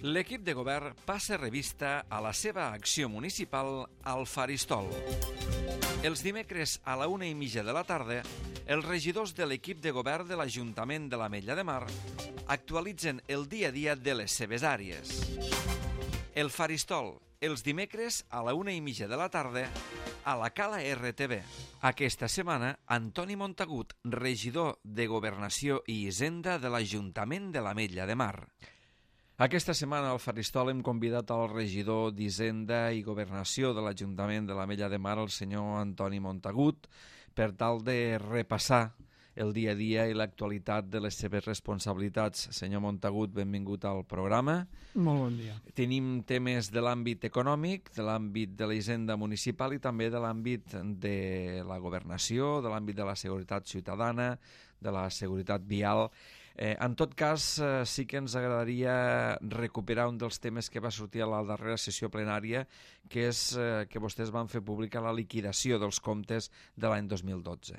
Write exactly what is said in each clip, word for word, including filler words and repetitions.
L'equip de govern passa revista a la seva acció municipal al Faristol. Els dimecres a la una i mitja de la tarda, els regidors de l'equip de govern de l'Ajuntament de l'Ametlla de Mar actualitzen el dia a dia de les seves àrees. El Faristol, els dimecres a la una i mitja de la tarda, a la Cala R T V. Aquesta setmana, Antoni Montagut, regidor de Governació i Hisenda de l'Ajuntament de l'Ametlla de Mar. Aquesta setmana al Faristol hem convidat al regidor d'Hisenda i Governació de l'Ajuntament de l'Ametlla de Mar, el senyor Antoni Montagut, per tal de repassar el dia a dia i l'actualitat de les seves responsabilitats. Senyor Montagut, benvingut al programa. Molt bon dia. Tenim temes de l'àmbit econòmic, de l'àmbit de la hisenda municipal i també de l'àmbit de la governació, de l'àmbit de la seguretat ciutadana, de la seguretat vial. Eh, en tot cas, eh, sí que ens agradaria recuperar un dels temes que va sortir a la darrera sessió plenària, que és eh, que vostès van fer pública la liquidació dels comptes de l'any dos mil dotze.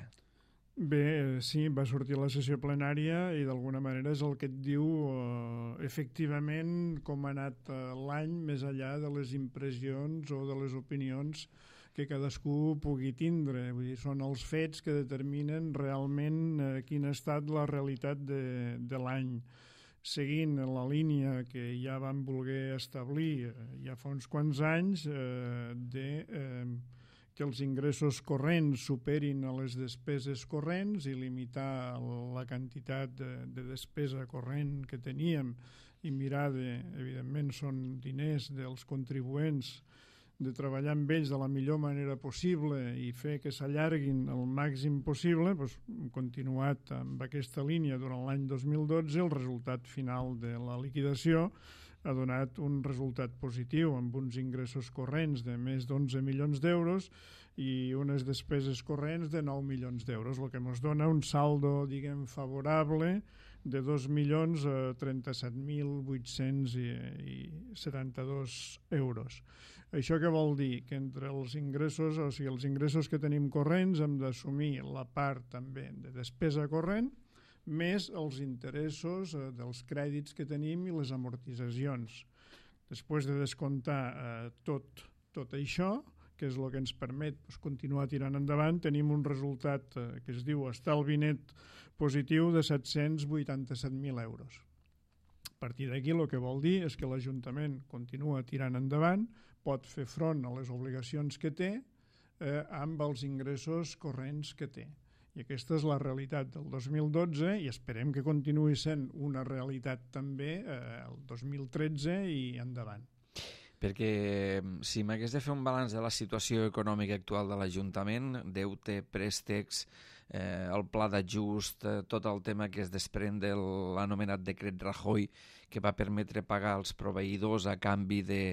Bé, sí, va sortir a la sessió plenària i d'alguna manera és el que et diu eh, efectivament com ha anat eh, l'any més enllà de les impressions o de les opinions que cadascú pugui tindre. Vull dir, són els fets que determinen realment eh, quina ha estat la realitat de, de l'any. Seguint la línia que ja vam voler establir eh, ja fa uns quants anys eh, de... Eh, que els ingressos corrents superin a les despeses corrents i limitar la quantitat de, de despesa corrent que teníem i mirar de, evidentment, són diners dels contribuents, de treballar amb ells de la millor manera possible i fer que s'allarguin el màxim possible. Doncs, hem continuat amb aquesta línia durant l'any dos mil dotze. El resultat final de la liquidació ha donat un resultat positiu amb uns ingressos corrents de més d'onze milions d'euros i unes despeses corrents de nou milions d'euros, el que ens dona un saldo, diguem, favorable de dos milions trenta-set mil vuit-cents setanta-dos euros. Això què vol dir? Que entre els ingressos, o sigui, els ingressos que tenim corrents hem d'assumir la part també de despesa corrent més els interessos eh, dels crèdits que tenim i les amortitzacions. Després de descomptar eh, tot, tot això, que és el que ens permet pues, continuar tirant endavant, tenim un resultat eh, que es diu estalvi net positiu de set-cents vuitanta-set mil euros. A partir d'aquí el que vol dir és que l'Ajuntament continua tirant endavant, pot fer front a les obligacions que té eh, amb els ingressos corrents que té. I aquesta és la realitat del dos mil dotze i esperem que continuï sent una realitat també eh, el dos mil tretze i endavant. Perquè si m'hagués de fer un balanç de la situació econòmica actual de l'Ajuntament, deute, préstecs, eh, el pla d'ajust, eh, tot el tema que es desprèn de l'anomenat decret Rajoy, que va permetre pagar als proveïdors a canvi de,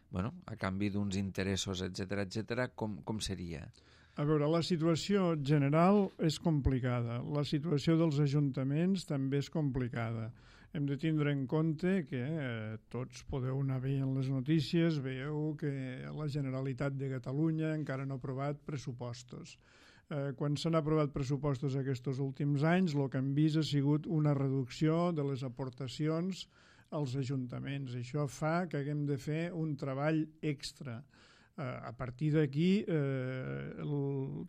bueno, a canvi d'uns interessos, etcètera, etcètera, com, com seria? A veure, la situació general és complicada. La situació dels ajuntaments també és complicada. Hem de tindre en compte que eh, tots podeu anar veient les notícies, veieu que la Generalitat de Catalunya encara no ha aprovat pressupostos. Eh, quan s'han aprovat pressupostos aquests últims anys, el que hem vist ha sigut una reducció de les aportacions als ajuntaments. Això fa que haguem de fer un treball extra. A partir d'aquí eh, el,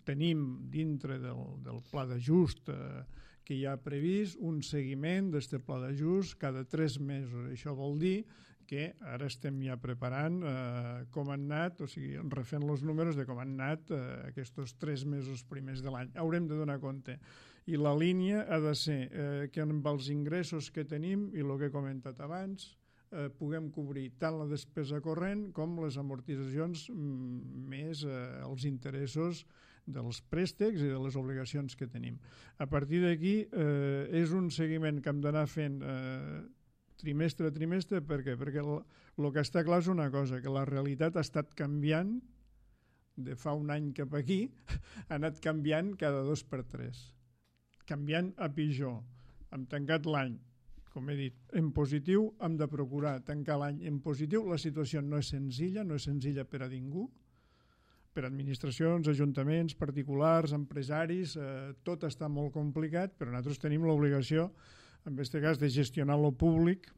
tenim dintre del, del pla d'ajust eh, que hi ha previst un seguiment d'aquest pla d'ajust cada tres mesos. Això vol dir que ara estem ja preparant eh, com han anat, o sigui, refent els números de com han anat eh, aquests tres mesos primers de l'any. Haurem de donar compte. I la línia ha de ser eh, que amb els ingressos que tenim i el que he comentat abans, Eh, puguem cobrir tant la despesa corrent com les amortitzacions mm, més eh, els interessos dels préstecs i de les obligacions que tenim. A partir d'aquí eh, és un seguiment que hem d'anar fent eh, trimestre a trimestre. Per què? Perquè el, el que està clar és una cosa, que la realitat ha estat canviant de fa un any cap aquí, ha anat canviant cada dos per tres. Canviant a pitjor. Hem tancat l'any, com he dit, en positiu. Hem de procurar tancar l'any en positiu. La situació no és senzilla, no és senzilla per a ningú, per administracions, ajuntaments, particulars, empresaris, eh, tot està molt complicat, però nosaltres tenim l'obligació, en aquest cas, de gestionar lo públic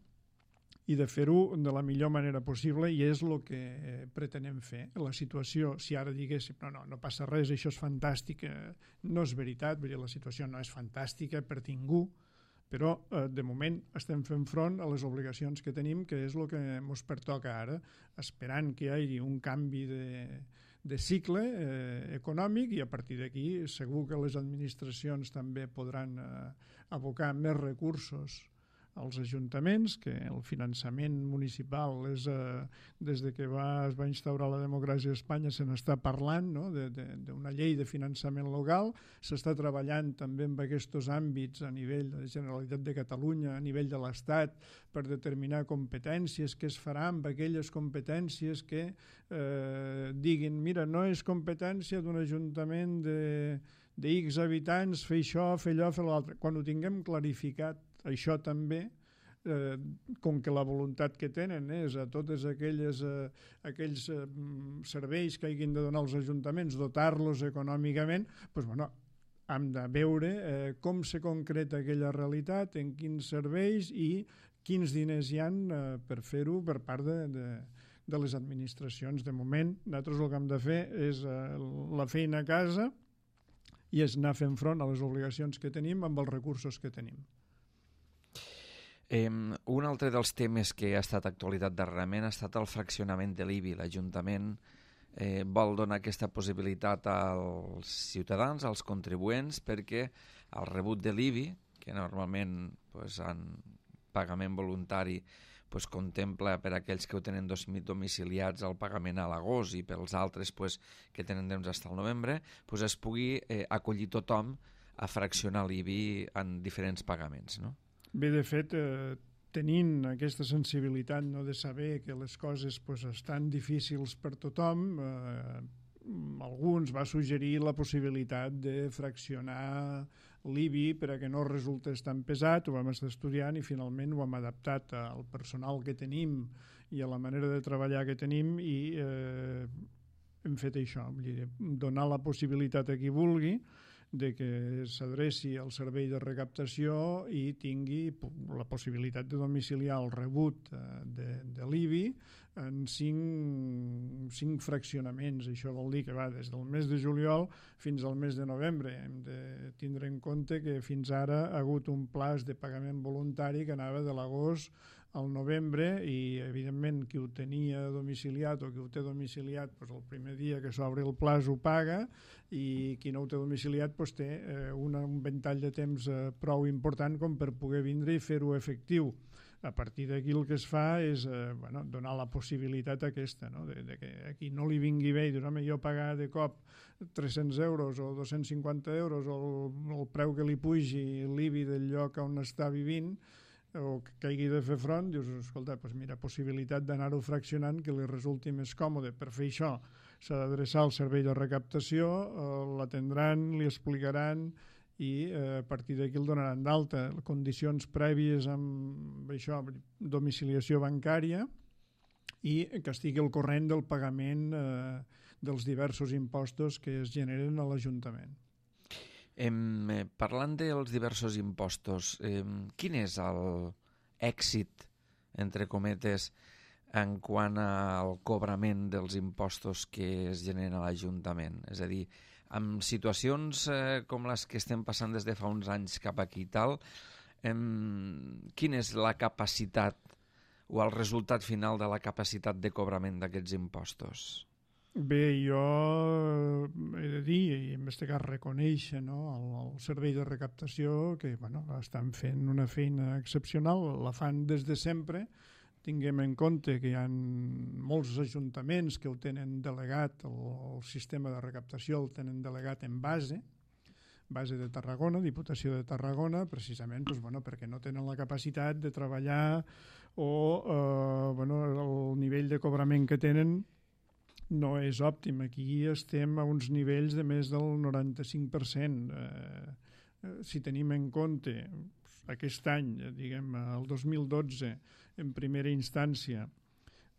i de fer-ho de la millor manera possible, i és el que pretenem fer. La situació, si ara diguéssim no, no, no passa res, això és fantàstic, no és veritat, vull dir, la situació no és fantàstica per ningú, però eh, de moment estem fent front a les obligacions que tenim, que és el que ens pertoca ara, esperant que hi hagi un canvi de, de cicle eh, econòmic, i a partir d'aquí segur que les administracions també podran eh, abocar més recursos als ajuntaments, que el finançament municipal és, eh, des de que va, es va instaurar la democràcia a Espanya se n'està parlant, no? d'una llei de finançament local, s'està treballant també en aquests àmbits a nivell de la Generalitat de Catalunya, a nivell de l'Estat, per determinar competències, què es farà amb aquelles competències que eh, diguin, mira, no és competència d'un ajuntament de, de X habitants fer això, fer allò, fer l'altre. Quan ho tinguem clarificat, això també, eh, com que la voluntat que tenen és a totes aquelles, eh, aquells eh, serveis que hagin de donar els ajuntaments, dotar-los econòmicament, doncs, bueno, hem de veure eh, com se concreta aquella realitat, en quins serveis i quins diners hi ha eh, per fer-ho per part de, de, de les administracions. De moment, nosaltres el que hem de fer és eh, la feina a casa i és anar fent front a les obligacions que tenim amb els recursos que tenim. Eh, un altre dels temes que ha estat actualitat darrerament ha estat el fraccionament de l'I B I. L'Ajuntament eh, vol donar aquesta possibilitat als ciutadans, als contribuents, perquè el rebut de l'I B I, que normalment pues, en pagament voluntari pues, contempla per aquells que ho tenen domiciliats el pagament a l'agost i pels altres pues, que tenen temps fins al novembre, pues, es pugui eh, acollir tothom a fraccionar l'I B I en diferents pagaments, no? Bé, de fet, eh, tenint aquesta sensibilitat, no, de saber que les coses pues, estan difícils per tothom, eh, alguns va suggerir la possibilitat de fraccionar l'I B I per a que no resultés tan pesat. Ho vam estar estudiant i finalment ho hem adaptat al personal que tenim i a la manera de treballar que tenim i eh, hem fet això, vull dir, donar la possibilitat a qui vulgui de que s'adreci al servei de recaptació i tingui la possibilitat de domiciliar el rebut de, de l'I B I en cinc, cinc fraccionaments. Això vol dir que va des del mes de juliol fins al mes de novembre. Hem de tindre en compte que fins ara ha hagut un plaç de pagament voluntari que anava de l'agost al novembre i, evidentment, qui ho tenia domiciliat o qui ho té domiciliat, doncs el primer dia que s'obre el plaç ho paga i qui no ho té domiciliat doncs té eh, una, un ventall de temps eh, prou important com per poder vindre i fer-ho efectiu. A partir d'aquí el que es fa és eh, bueno, donar la possibilitat aquesta, no? de, de que a qui no li vingui bé i dir, home, jo pagar de cop tres-cents euros o dos-cents cinquanta euros o el, el preu que li pugi l'I B I del lloc on està vivint, o que hagi de fer front, dius, escolta, doncs mira, possibilitat d'anar-ho fraccionant que li resulti més còmode. Per fer això s'ha d'adreçar al servei de recaptació, eh, l'atendran, li explicaran i eh, a partir d'aquí el donaran d'alta. Condicions prèvies amb això, domiciliació bancària i que estigui al corrent del pagament eh, dels diversos impostos que es generen a l'Ajuntament. Eh, parlant dels diversos impostos, eh, quin és l'èxit, entre cometes, en quant al cobrament dels impostos que es generen a l'Ajuntament? És a dir, en situacions eh, com les que estem passant des de fa uns anys cap aquí i tal, eh, quina és la capacitat o el resultat final de la capacitat de cobrament d'aquests impostos? Bé, jo he de dir, i en aquest cas reconèixer, no, el, el servei de recaptació, que bueno, estan fent una feina excepcional, la fan des de sempre. Tinguem en compte que hi ha molts ajuntaments que ho tenen delegat, el, el sistema de recaptació el tenen delegat en base, base de Tarragona, Diputació de Tarragona, precisament doncs, bueno, perquè no tenen la capacitat de treballar o eh, bueno, el nivell de cobrament que tenen no és òptim. Aquí estem a uns nivells de més del noranta-cinc per cent. Eh, si tenim en compte aquest any, diguem, el dos mil dotze, en primera instància,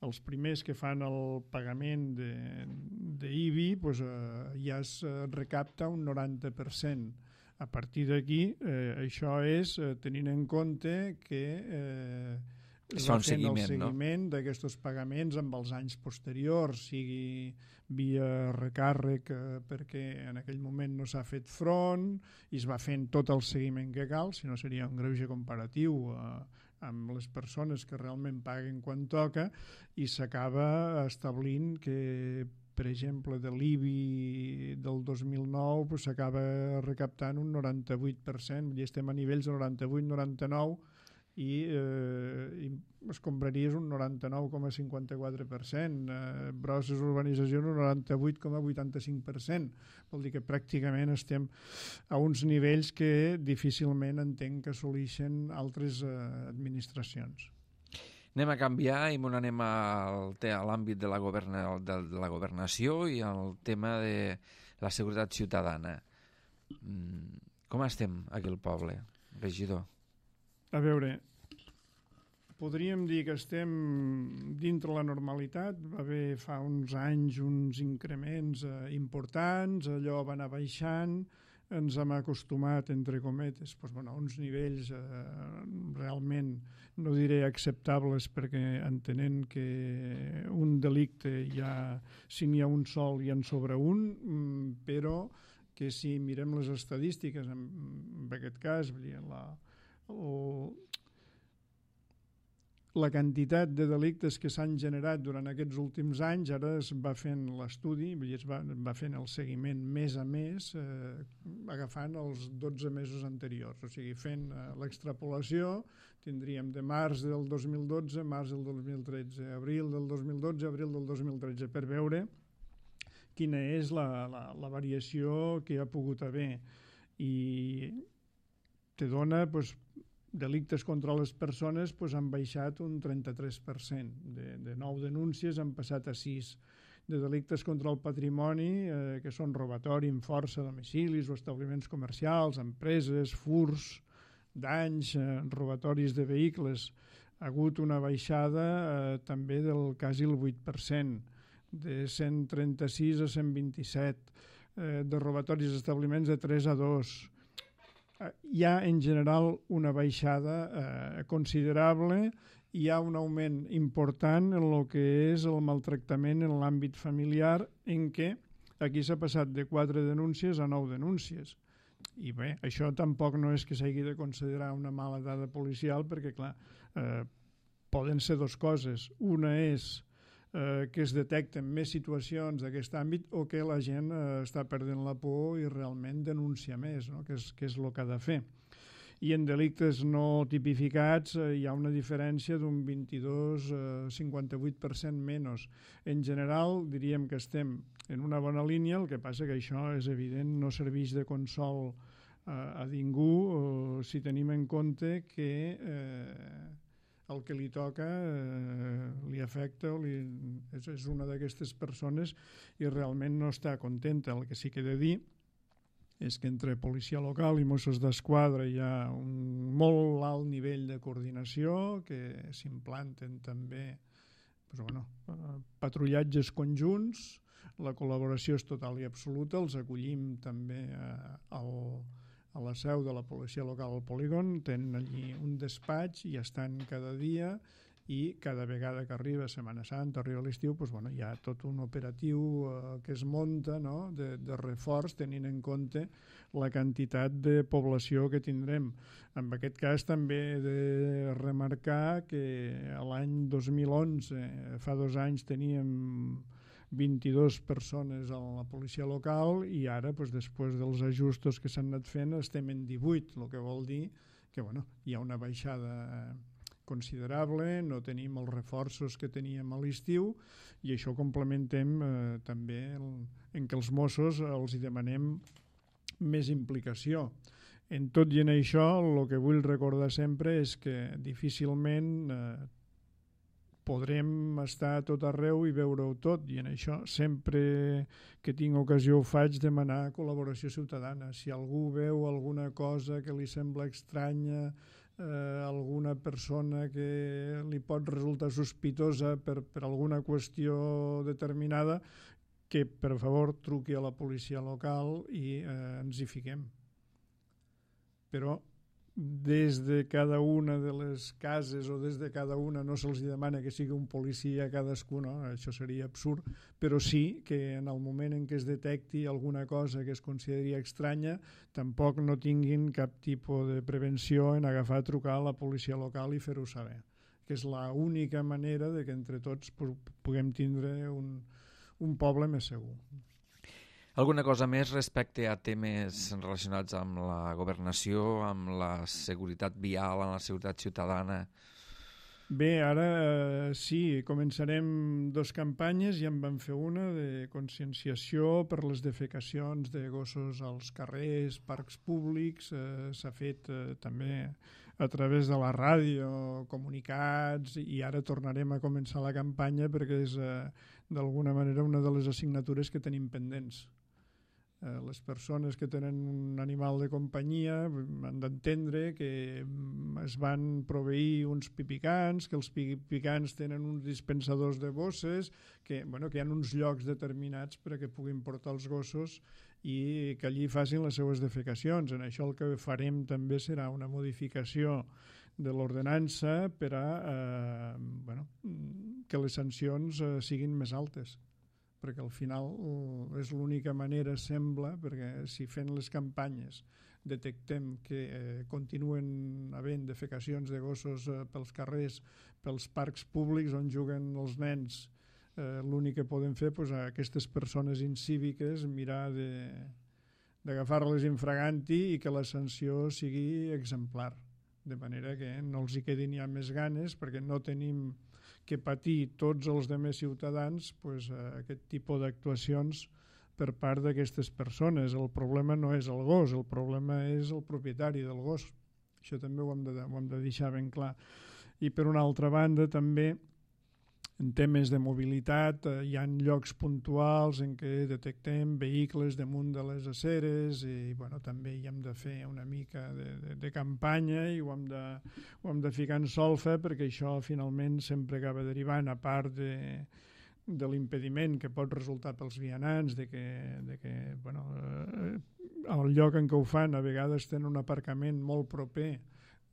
els primers que fan el pagament d'I B I, doncs, eh, ja es recapta un noranta per cent. A partir d'aquí, eh, això és eh, tenint en compte que eh, es fa va un fent el seguiment, no? seguiment d'aquests pagaments amb els anys posteriors, sigui via recàrrec eh, perquè en aquell moment no s'ha fet front i es va fent tot el seguiment que cal, si no seria un greuge comparatiu eh, amb les persones que realment paguen quan toca, i s'acaba establint que, per exemple, de l'I B I del dos mil nou pues, s'acaba recaptant un noranta-vuit per cent, vull dir, estem a nivells de noranta-vuit noranta-nou, i, eh, i es compraries un noranta-nou coma cinquanta-quatre per cent, eh, grosses urbanitzacions un noranta-vuit coma vuitanta-cinc per cent. Vol dir que pràcticament estem a uns nivells que difícilment entenc que assoleixen altres eh, administracions. Anem a canviar i m'ho anem al, a l'àmbit de la, governa, de, de la governació i al tema de la seguretat ciutadana. Mm, com estem aquí al poble, regidor? A veure, podríem dir que estem dintre la normalitat. Va haver fa uns anys uns increments eh, importants, allò va anar baixant, ens hem acostumat, entre cometes, doncs, bueno, a uns nivells eh, realment, no diré acceptables, perquè entenent que un delicte ja, si n'hi ha un sol i en sobre un, però que si mirem les estadístiques, en, en aquest cas, vull dir, la o la quantitat de delictes que s'han generat durant aquests últims anys, ara es va fent l'estudi, es va, va fent el seguiment mes a mes, eh, agafant els dotze mesos anteriors, o sigui, fent eh, l'extrapolació, tindríem de març del dos mil dotze, març del dos mil tretze, abril del dos mil dotze, abril del dos mil tretze, per veure quina és la, la, la variació que hi ha pogut haver. I te dona, doncs, delictes contra les persones pues, han baixat un trenta-tres per cent. De, de nou denúncies han passat a sis. De delictes contra el patrimoni, eh, que són robatori amb força, domicilis o establiments comercials, empreses, furs, danys, eh, robatoris de vehicles, ha hagut una baixada eh, també del quasi el vuit per cent, de cent trenta-sis a cent vint-i-set, eh, de robatoris d'establiments de tres a dos. Hi ha en general una baixada eh, considerable, hi ha un augment important en el que és el maltractament en l'àmbit familiar, en què aquí s'ha passat de quatre denúncies a nou denúncies. I bé, això tampoc no és que s'hagi de considerar una mala dada policial, perquè clar, eh, poden ser dues coses. Una és eh, que es detecten més situacions d'aquest àmbit o que la gent eh, està perdent la por i realment denuncia més, no? que, és, que és el que ha de fer. I en delictes no tipificats eh, hi ha una diferència d'un vint-i-dos a cinquanta-vuit per cent menys. En general diríem que estem en una bona línia, el que passa que això és evident, no serveix de consol eh, a ningú eh, si tenim en compte que eh, el que li toca eh, li afecta o li, és, és una d'aquestes persones i realment no està contenta. El que sí que he de dir és que entre policia local i Mossos d'Esquadra hi ha un molt alt nivell de coordinació, que s'implanten també doncs, bueno, patrullatges conjunts, la col·laboració és total i absoluta, els acollim també eh, al a la seu de la policia local al polígon, tenen allí un despatx i estan cada dia i cada vegada que arriba Setmana Santa, arriba l'estiu, doncs, bueno, hi ha tot un operatiu eh, que es munta, no? de, de reforç tenint en compte la quantitat de població que tindrem. En aquest cas també he de remarcar que l'any dos mil onze, fa dos anys, teníem vint-i-dues persones a la policia local i ara, doncs, després dels ajustos que s'han anat fent, estem en divuit, el que vol dir que bueno, hi ha una baixada considerable, no tenim els reforços que teníem a l'estiu i això complementem eh, també el, en què els Mossos els hi demanem més implicació. En tot i en això, el que vull recordar sempre és que difícilment eh, podrem estar a tot arreu i veure-ho tot, i en això sempre que tinc ocasió ho faig, demanar col·laboració ciutadana. Si algú veu alguna cosa que li sembla estranya, eh, alguna persona que li pot resultar sospitosa per, per alguna qüestió determinada, que per favor truqui a la policia local i eh, ens hi fiquem. Però des de cada una de les cases o des de cada una no se'ls demana que sigui un policia a cadascú, no? Això seria absurd, però sí que en el moment en què es detecti alguna cosa que es consideri estranya, tampoc no tinguin cap tipus de prevenció en agafar, trucar a la policia local i fer-ho saber, que és l'única manera de que entre tots puguem tindre un, un poble més segur. Alguna cosa més respecte a temes relacionats amb la governació, amb la seguretat vial, amb la seguretat ciutadana? Bé, ara eh, sí, començarem dos campanyes, ja en vam fer una de conscienciació per les defecacions de gossos als carrers, parcs públics, eh, s'ha fet eh, també a través de la ràdio, comunicats, i ara tornarem a començar la campanya perquè és eh, d'alguna manera una de les assignatures que tenim pendents. Eh, les persones que tenen un animal de companyia han d'entendre que es van proveir uns pipicants, que els pipicants tenen uns dispensadors de bosses, que, bueno, que hi ha uns llocs determinats perquè puguin portar els gossos i que allí facin les seues defecacions. En això el que farem també serà una modificació de l'ordenança per a eh, bueno, que les sancions eh, siguin més altes, perquè al final és l'única manera, sembla, perquè si fent les campanyes detectem que eh, continuen havent defecacions de gossos eh, pels carrers, pels parcs públics on juguen els nens, eh, l'únic que podem fer pues, a aquestes persones incíviques mirar d'agafar-les infraganti i que la sanció sigui exemplar, de manera que no els hi quedin ja més ganes, perquè no tenim que patir tots els demés ciutadans pues, aquest tipus d'actuacions per part d'aquestes persones. El problema no és el gos, el problema és el propietari del gos. Això també ho hem de, ho hem de deixar ben clar. I per una altra banda també en temes de mobilitat eh, hi ha llocs puntuals en què detectem vehicles damunt de les aceres i bueno, també hi hem de fer una mica de, de, de campanya i ho hem, de, ho hem de ficar en solfa perquè això finalment sempre acaba derivant, a part de, de l'impediment que pot resultar pels vianants, de que, de que bueno, eh, al lloc en què ho fan a vegades tenen un aparcament molt proper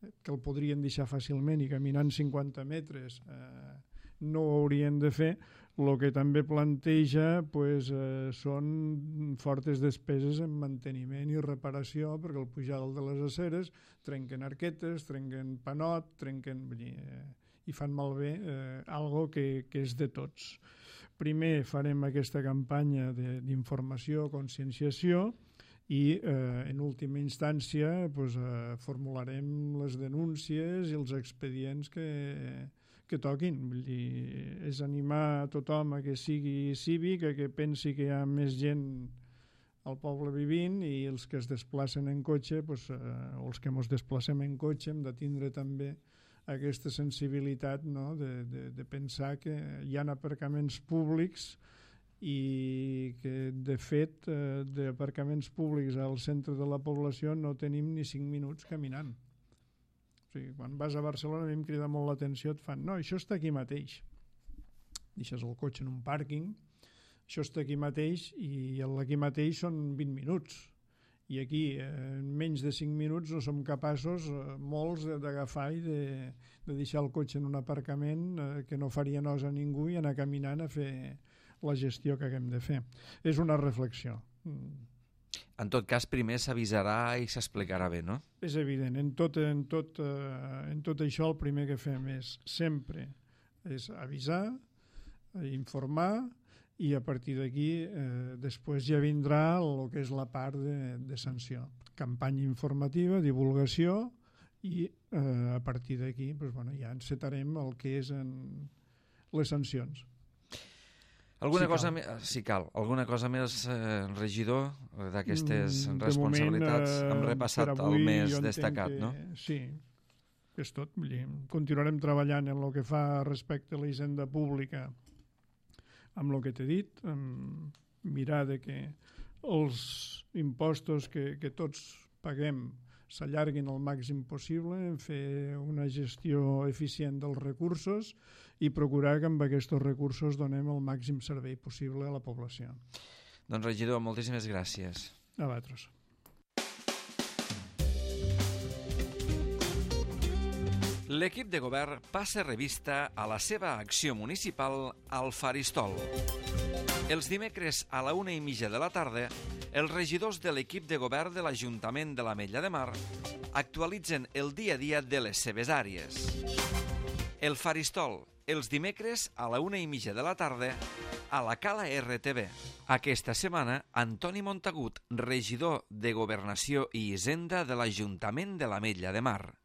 que el podrien deixar fàcilment i caminant cinquanta metres eh, no ho haurien de fer. El que també planteja pues, eh, són fortes despeses en manteniment i reparació perquè al pujar de les aceres trenquen arquetes, trenquen panot, trenquen... Eh, i fan malbé eh, algo que, que és de tots. Primer farem aquesta campanya d'informació, conscienciació i eh, en última instància pues, eh, formularem les denúncies i els expedients que... que toquin. Vull dir, és animar a tothom a que sigui cívic, a que pensi que hi ha més gent al poble vivint i els que es desplacen en cotxe, pues, eh, o els que ens desplacem en cotxe, hem de tindre també aquesta sensibilitat, no? de, de, de pensar que hi ha aparcaments públics i que de fet eh, d'aparcaments públics al centre de la població no tenim ni cinc minuts caminant. Quan vas a Barcelona a mi em crida molt l'atenció, et fan, no, això està aquí mateix. Deixes el cotxe en un pàrquing, això està aquí mateix i aquí mateix són vint minuts. I aquí, en menys de cinc minuts, no som capaços, molts, d'agafar i de, de deixar el cotxe en un aparcament que no faria nosa a ningú i anar caminant a fer la gestió que haguem de fer. És una reflexió. En tot cas, primer s'avisarà i s'explicarà bé, no? És evident. En tot, en, tot, eh, en tot això el primer que fem és sempre és avisar, informar i a partir d'aquí eh, després ja vindrà el que és la part de, de sanció. Campanya informativa, divulgació i eh, a partir d'aquí pues, bueno, ja encetarem el que és en les sancions. Alguna si cosa més, si cal, alguna cosa més, eh, regidor, d'aquestes responsabilitats? Moment, eh, hem repassat el més destacat, que, no? Sí, és tot. Vull dir, continuarem treballant en el que fa respecte a la hisenda pública amb el que t'he dit, amb mirar de que els impostos que, que tots paguem s'allarguin al màxim possible, en fer una gestió eficient dels recursos i procurar que amb aquests recursos donem el màxim servei possible a la població. Doncs regidor, moltíssimes gràcies. A vosaltres. L'equip de govern passa revista a la seva acció municipal al Faristol. Els dimecres a la una i mitja de la tarda, els regidors de l'equip de govern de l'Ajuntament de l'Ametlla de Mar actualitzen el dia a dia de les seves àrees. El Faristol, els dimecres a la una i mitja de la tarda, a la Cala R T V. Aquesta setmana, Antoni Montagut, regidor de Governació i Hisenda de l'Ajuntament de l'Ametlla de Mar.